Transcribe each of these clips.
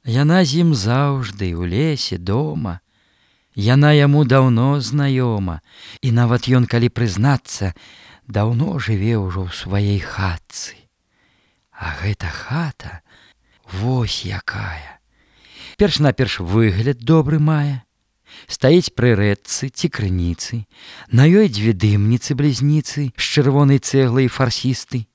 Яна з ім заўжды у лесе дома. Яна яму даўно знаёма, і нават ён, калі прызнацца, даўно жыве ўжо ў сваёй хатцы. А гэта хата вось якая. Перш-наперш выгляд добры мае. Стаіць пры рэчцы ці крыніцы, на ёй дзве дымніцы-блізніцы з чырвонай цэглай фарсісты.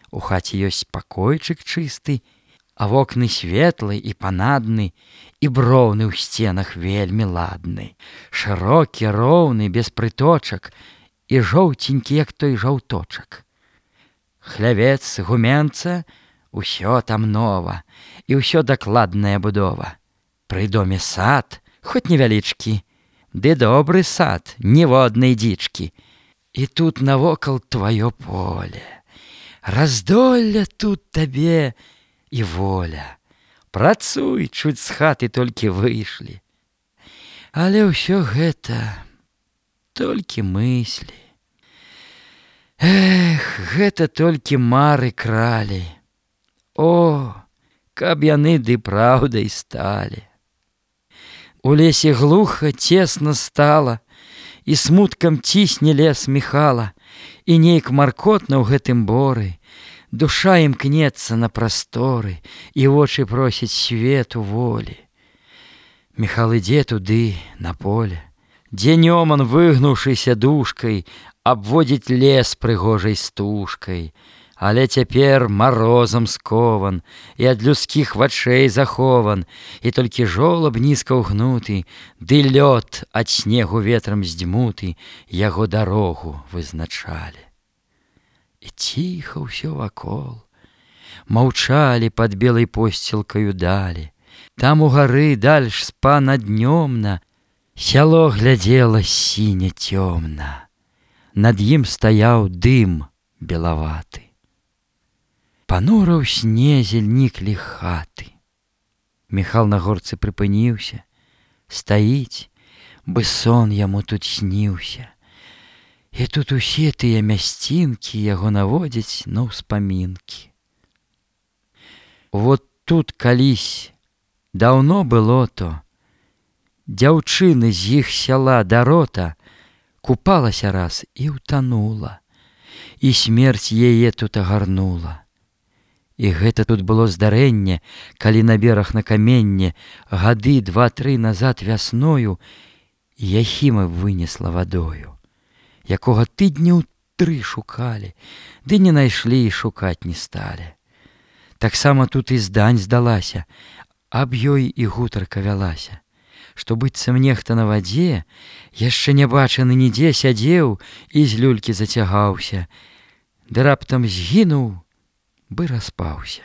У хаце ёсць пакойчык чысты, а вокны светлы і панадны, і броўны ў сценах вельмі ладны, шырокі, роўны, без прыточак, і жоўценькі, як той жаўточак. Хлявец, гуменца, усё там нова, і ўсё дакладная будова. Пры доме сад, хоць невялічкі, ды добры сад, ніводнай дзічкі. І тут навокал тваё поле, раздолля тут табе і воля. Працуй, чуць з хаты толькі выйшлі. Але ўсё гэта толькі мыслі. Эх, гэта толькі мары кралі. О, каб яны ды праўдай сталі. У лесе глуха, цесна стала, і смуткам цісне лес Міхала, і нейк маркотна ў гэтым боры. Душа імкнецца на прасторы, і вочы просяць свету волі. Міхал ідзе туды, на поле, дзе Нёман, выгнуўшыся душкай, абводзіць лес прыгожай стужкай. Але цяпер марозам скован, і ад людскіх вачэй захован, і толькі жолаб нізка ўгнуты, ды лёд ад снегу ветрам здзьмуты яго дарогу вызначалі. І ціха ўсё вакол, маўчалі пад белай посцілкаю далі. Там у гары дальш спана днёмна, сяло глядзела сіня цёмна. Над ім стаяў дым белаваты. Панура ў снезе ніклі хаты. Міхал на горцы прыпыніўся, стаіць, бы сон яму тут сніўся. І тут усе тыя мясцінкі яго наводзяць на ўспамінкі. Вот тут калісь, даўно было то, дзяўчыны з іх сяла Дарота купалася раз і ўтанула, і смерць яе тут агарнула. І гэта тут было здарэнне, калі на бераг на каменне гады 2-3 назад вясною Яхіма вынесла вадою, якога тыдняў 3 шукалі, ды не найшлі і шукаць не сталі. Таксама тут і здань здалася, аб ёй і гутарка вялася, што быццам нехта на вадзе, яшчэ не бачаны нідзе сядзеў і з люлькі зацягаўся, ды раптам згінуў, бы распаўся.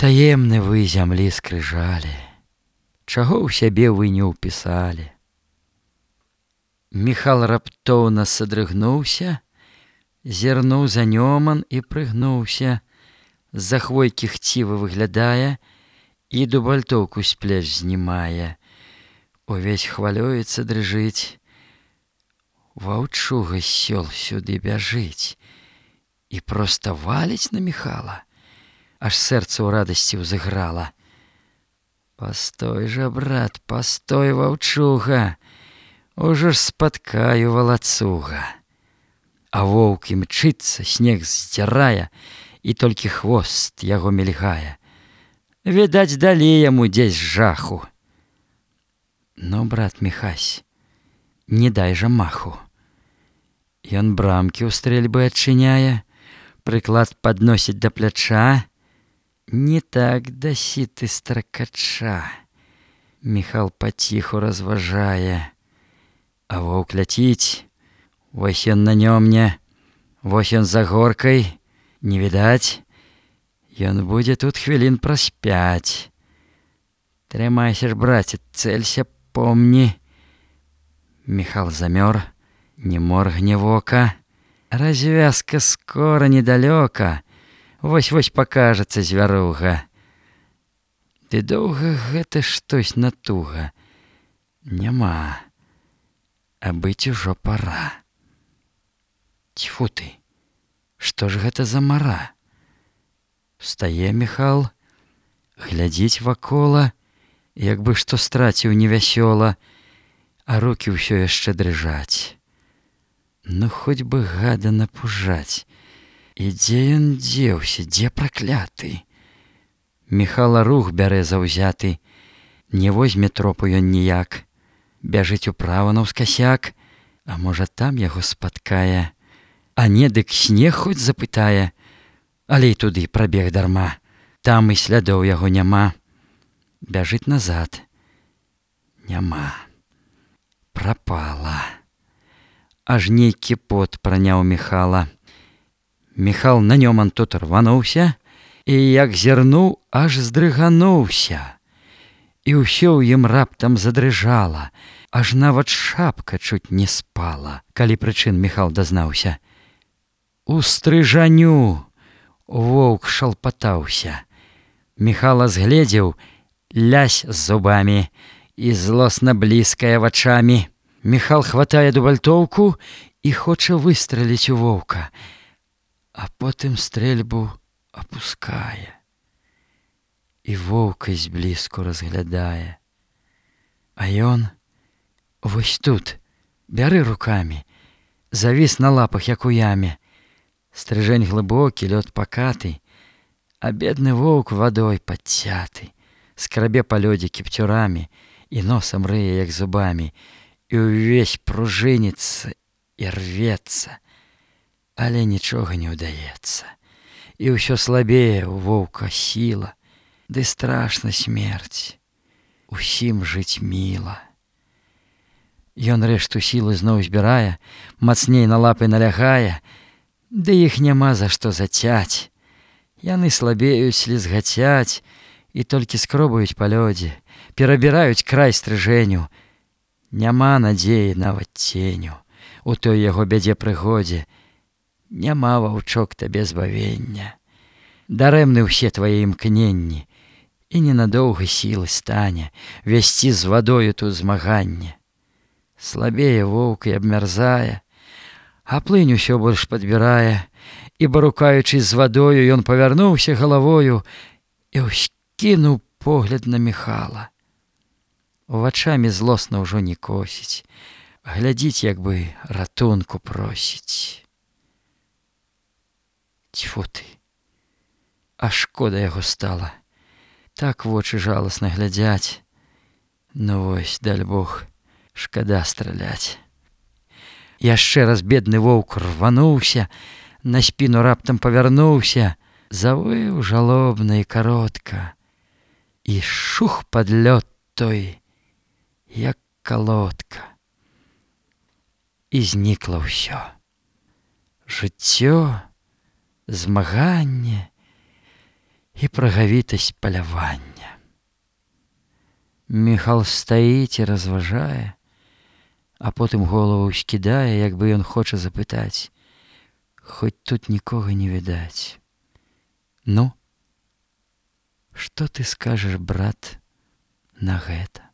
Таемны вы зямлі скрыжалі, чаго ў сябе вы не ўпісалі. Міхал раптоўна садрыгнуўся, зірнуў за Нёман і прыгнуўся, з-за хвойкі хціва выглядае і дубальтоўку з плеч знімае. Увесь хвалюецца, дрыжыць. Ваўчуга з сёл сюды бяжыць і проста валіць на Міхала, аж сэрца ў радасці ўзыграла. Пастой жа, брат, пастой, ваўчуга, ужо ж спаткаю валацуга. А воўк імчыцца, снег здзірае, і толькі хвост яго мільгае. Відаць, далі яму дзесь жаху. Ну, брат Міхась, не дай жа маху. Ён брамкі ў стрэльбы адчыняе, прыклад падносіць да пляча. Не так дасі ты, стракача. Міхал паціху разважае. А воўк ляціць, вось ён на Нёмне, вось ён за горкай, не відаць. Ён будзе тут хвілін праз 5. Трымайся ж, браце, цэлься, помні. Міхал замёр, не моргне вока. Развязка скора недалёка, вось-вось пакажацца звяруга. Ды доўга гэта штось натуга. Няма, а быць ужо пара. Цьфу ты, што ж гэта за мара? Встае Міхал, Глядзіць вакола, як бы што страціў невясёла, а рукі ўсё яшчэ дрыжаць. Ну хоць бы гада напужаць. І дзе ён дзеўся, дзе пракляты? Міхала рух бярэ заўзяты, не возьме тропу ён ніяк. Бяжыць управа наўскасяк, а можа там яго спаткае. А не, дык снег хоць запытае, але і туды прабег дарма. Там і слядоў яго няма. Бяжыць назад. Няма. Прапала. Аж нейкі пот праняў Міхала. Міхал на нёман тут рвануўся, і як зірнуў, аж здрыгануўся. І ўсё ў ім раптам задрыжала, аж нават шапка чуць не спала, калі прычын Міхал дазнаўся. У стрыжаню воўк шалпатаўся. Міхала згледзеў, лясь з зубамі і злосна бліскае вачамі. Міхал хватае дубальтоўку і хоча выстраліць у воўка, а потым стрэльбу апускае і воўка зблізку разглядае. А ён вось тут, бяры рукамі, завіс на лапах, як у яме. Стрыжэнь глыбокі, лёд пакаты, а бедны воўк вадой падцяты, скрабе па лёдзе кіпцюрамі і носам рые, як зубамі, і ўвесь пружыніцца і рвецца, але нічога не ўдаецца. І ўсё слабее у воўка сіла, ды страшна смерць, усім жыць міла. Ён рэшту сілы зноў збірае, мацней на лапы налягае, ды іх няма за што зацяць. Яны слабеюць, слізгацяць і толькі скробаюць па лёдзе, перабіраюць край стрыжэню. Няма надзеі нават ценю у той яго бядзе прыгодзе. Няма, ваўчок, табе збавення. Дарэмны ўсе твае імкненні, і ненадоўга сілы стане весці з вадою тут змаганне. Слабее воўк і абмярзае, а плынь усё больш падбірае, і, барукаючись з вадою, ён павярнуўся галавою і ўскінуў погляд на Міхала. Вачамі злосна ўжо не косіць, глядзіць, як бы ратунку просіць. Цьфу ты, а шкода яго стала. Так вочы жаласна глядзяць. Ну вось, даль Бог, шкада страляць. Яшчэ раз бедны воўк рвануўся, на спіну раптам павярнуўся, завыў жалобна і каротка, і шух пад лёд той, як калодка. І знікла ўсё. Жыццё, змаганне і прагавітасць палявання. Міхал стаіць і разважае, а потым голову ўскідае, як бы ён хоча запытаць, хоць тут нікога не відаць. Ну, што ты скажаш, брат, на гэта?